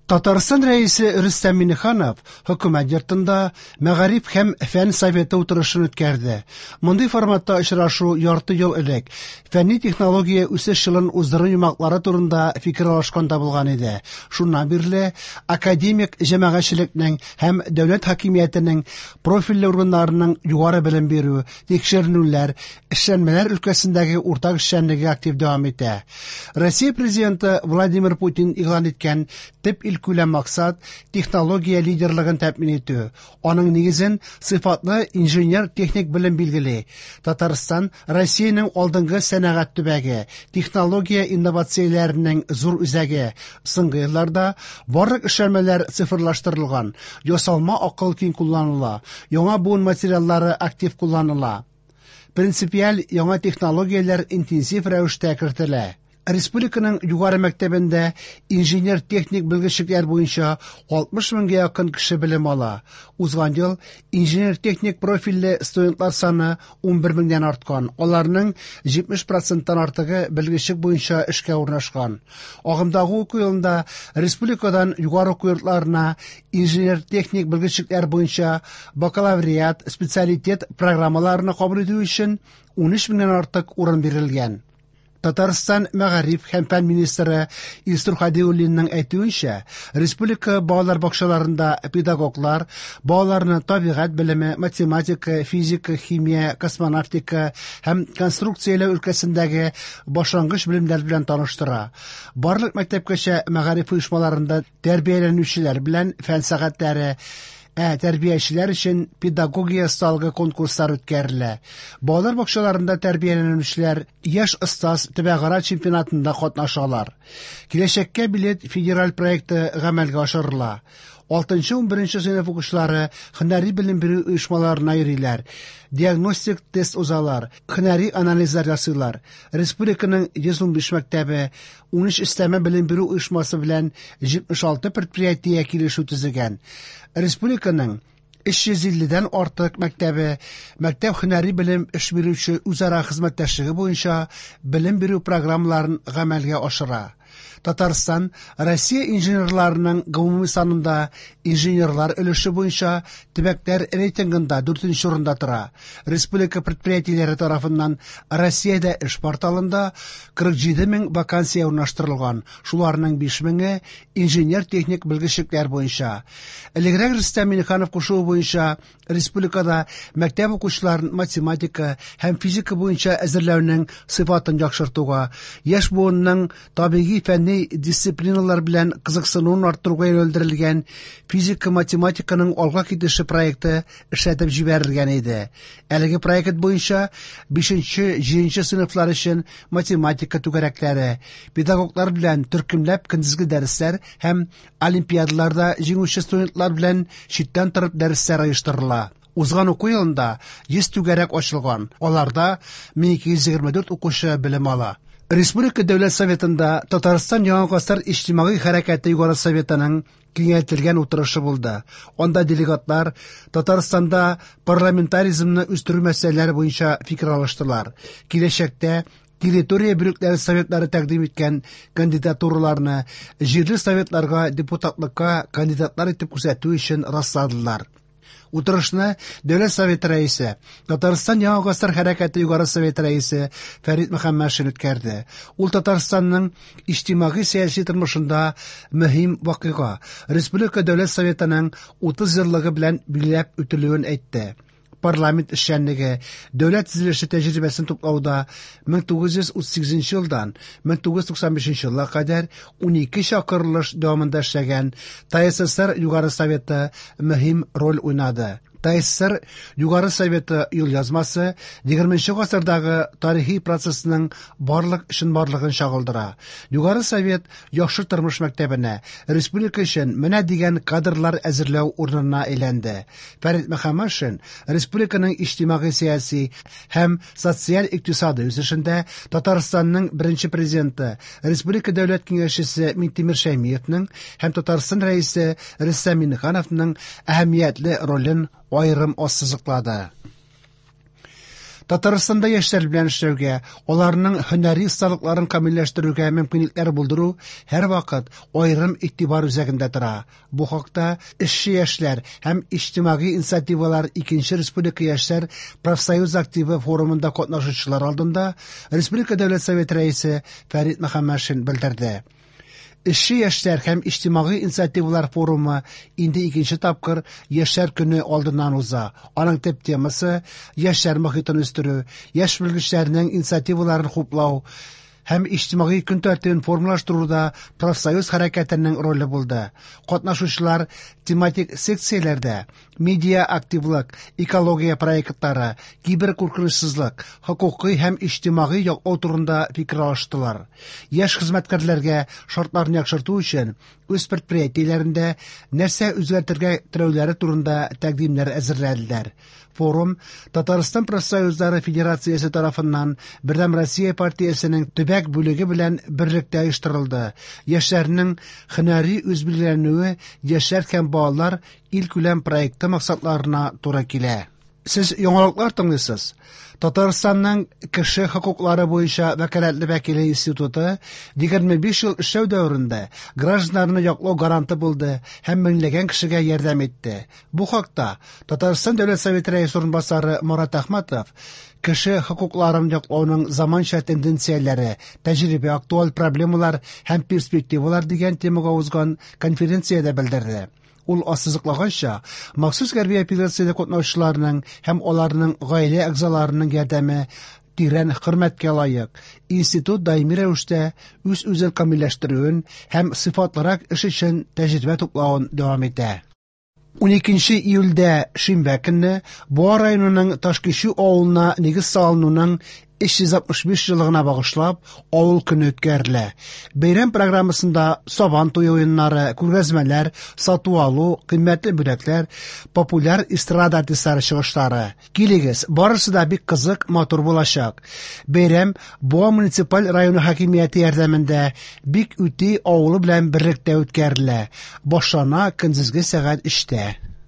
Татарстан Рәисе Рөстәм Миңнеханов Хөкүмәт йортында Мәгариф һәм фән советы утырышын үткәрде. Мондый форматта очрашу ярты ел элек фәнни-технология үсеш елын уздыру йомгаклары турында фикер алышканда булган иде. Шуннан бирле академик җәмәгатьчелекнең һәм дәүләт хакимиятенең профильле органнарының югары белем бирү, тикшеренүләр, эшләнмәләр өлкәсендәге уртак эшчәнлеге актив дәвам итә. Россия Президенты Владимир Путин игълан иткән төп илкүләм максат технология лидерлыгын тәэмин итү. Аның нигезен сыйфатлы инженер-техник белем билгели. Татарстан Россиянең алдынгы сәнәгать төбәге, технология инновацияләренең зур үзәге. Соңгы елларда барлык эшләнмәләр цифрлаштырылган, ясалма акыл киң кулланыла, яңа буын материаллары актив кулланыла. Принципиаль яңа технологияләр интенсив рәвештә кертелә. Республиканың югары мәктәбендә инженер-техник белгечлекләр буенча 60 меңгә якын кеше белем ала. Узган ел инженер-техник профильле студентлар саны 11 меңнән арткан. Аларның 70 проценттан артыгы белгечлек буенча эшкә урнашкан. Агымдагы уку елында республикадан югары уку йортларына инженер-техник белгечлекләр буенча бакалавриат, специалитет программаларына кабул итү өчен 13 меңнән артык урын бирелгән. Татарстан мәгариф һәм фән министры Илсур Хадиуллинның әйтүенчә, республика балалар бакчаларында педагоглар балаларны табигать белеме, математика, физика, химия, космонавтика һәм конструкцияләү өлкәсендәге башлангыч белемнәр белән таныштыра. Барлык мәктәпкәчә мәгариф оешмаларында тәрбияләнүчеләр белән фән сәгатьләре, ә тәрбиячеләр өчен педагогия осталыгы конкурслар үткәрелә. Балалар бакчаларында тәрбияләнүчеләр Яшь остаз төбәкара чемпионатында катнашалар. Киләчәккә билет федераль проекты гамәлгә ашырыла. 6-11 сыйныф укучылары һөнәри белем бирү оешмаларына йөриләр, диагностик тест узалар, һөнәри анализлар ясыйлар. Республиканың 115 мәктәбе, 13 өстәмә белем бирү оешмасы белән 76 предприятие килешү төзегән. Республиканың 350-дән артык мәктәбе мәктәп һөнәри белем эш бирүче үзара хезмәттәшлеге буенча белем бирү программаларын гамәлгә ашыра. Татарстан Россия инженерларының гомуми санында инженерлар өлеше буенча төбәкләр рейтингында 4 урында тора. Республика предприятиеләре тарафыннан Россиядә эш порталында 47 мең вакансия урнаштырылган, шуларның 5 меңе инженер-техник белгечлекләр буенча. Элегрәк Рөстәм Миңнеханов кушуы буенча республикада мәктәп укучыларын математика һәм физика буенча әзерләүнең сыйфатын яхшыртуга, яшь буынның табигый фәнни дисциплиналар белән кызыксынуын арттыруга юнәлдерелгән физика-математиканың алга китеше проекты эшләтеп җибәрелгән иде. Әлеге проект буенча 5-7 сыйныфлар өчен математика түгәрәкләре, педагоглар белән төркемләп көндезге дәресләр һәм олимпиадаларда җиңүче студентлар белән читтән торып дәресләр оештырыла. Узган уку елында 100 түгәрәк ачылган, аларда 1224 укучы белем ала. Республика Дәүләт Советында Татарстан Яңа гасыр иҗтимагый хәрәкәте Югары Советының киңәйтелгән утырышы булды. Анда делегатлар Татарстанда парламентаризмны үстерү мәсьәләләре буенча фикер алыштылар. Киләчәктә территория бүлекләре советлары тәкъдим иткән кандидатураларны җирле советларга депутатлыкка кандидатлар итеп күрсәтү өчен расладылар. Утырышны Дәүләт Советы рәисе, Татарстан Яңа гасыр хәрәкәте Югары Советы рәисе Фәрит Мөхәммәтшин үткәрде. Ул Татарстанның иҗтимагый-сәяси тормышында мөһим вакыйга, Республика Дәүләт Советының 30 еллыгы белән билгеләп үтелүен әйтте. Парламент эшчәнлеге, дәүләт төзелеше тәҗрибәсен туплауда 1938 елдан 1995 елга кадәр 12 чакырылыш дәвамында эшләгән ТАССР Югары Советы мөһим роль уйнады. ТАССР Югары Советы юлъязмасы 20 гасырдагы тарихи процессның барлык чынбарлыгын чагылдыра. Югары Совет яхшы тормыш мәктәбенә, республика өчен менә дигән кадрлар әзерләү урынына әйләнде. Фәрит Мөхәммәтшин республиканың иҗтимагый-сәяси һәм социаль-икътисади үсешендә Татарстанның беренче президенты, Республика Дәүләт Киңәшчесе Минтимер Шәймиевның һәм Татарстан Рәисе Рөстәм Миңнехановның әһәмиятле ролен аерым ассызыклады. Татарстанда яшьләр белән эшләүгә, аларның һөнәри осталыкларын камилләштерүгә мөмкинлекләр булдыру һәрвакыт аерым игътибар үзәгендә тора. Бу хакта Эшче яшьләр һәм иҗтимагый инициативалар икенче республика яшьләр профсоюз активы форумында катнашучылар алдында Республика Дәүләт Советы Рәисе Фәрит Мөхәммәтшин белдерде. Эшче яшьләр һәм иҗтимагый инициативалар форумы инде икенче тапкыр Яшьләр көне алдыннан уза. Аның төп темасы яшьләр мохитен үстерү, яшь белгечләрнең инициативаларын хуплау һәм иҗтимагый көн тәртибен формалаштыруда профсоюз хәрәкәтенең роле булды. Катнашучылар тематик секцияләрдә медиа активлык, экология проектлары, киберкуркынычсызлык, хокукый һәм иҗтимагый яклау турында фикер алыштылар. Яшь хезмәткәрләргә шартларны яхшырту өчен үз предприятиеләрендә нәрсә үзгәртергә теләүләре турында тәкъдимнәр әзерләделәр. Форум Татарстан профсоюзлары федерациясе тарафыннан Бердәм Россия партиясенең төбәк бүлеге белән берлектә оештырылды. Яшьләрнең һөнәри үзбилгеләнүе яшьләр һәм балалар илкүләм проекты максатларына туры килә. Сез яңалыклар тыңлыйсыз. Татарстанның кеше хокуклары буенча вәкаләтле вәкиле институты 25 ел эшләү дәверендә гражданнарны яклау гаранты булды һәм меңләгән кешегә ярдәм итте. Бу хакта Татарстан Дәүләт Советы рәисе урынбасары Марат Әхмәтов кеше хокукларын яклауның заманча тенденцияләре, тәҗрибә, актуаль проблемалар һәм перспективалар дигән темага узган конференциядә белдерде. Ул ассызыклаганча, махсус хәрби операциядә катнашучыларның һәм аларның гаилә әгъзаларының ярдәме тирән хөрмәткә лаек. Институт даими рәвештә үз-үзен камилләштерүен һәм сыйфатлырак эш өчен тәҗрибә туплавын дәвам итә. 12 июльдә шимбә көнне Буа районының Ташкичү авылына нигез салынуның 365 еллыгына багышлап авыл көне үткәрелә. Бәйрәм программасында сабан туе уеннары, күргәзмәләр, сату-алу, кыйммәтле бүләкләр, популяр эстрада артистлары чыгышлары. Килегез, барысы да бик кызык, матур булачак. Бәйрәм Буа муниципаль районы хакимияте ярдәмендә Бик Үти авылы белән берлектә үткәрелә. Башлана көндезге сәгать 3-тә.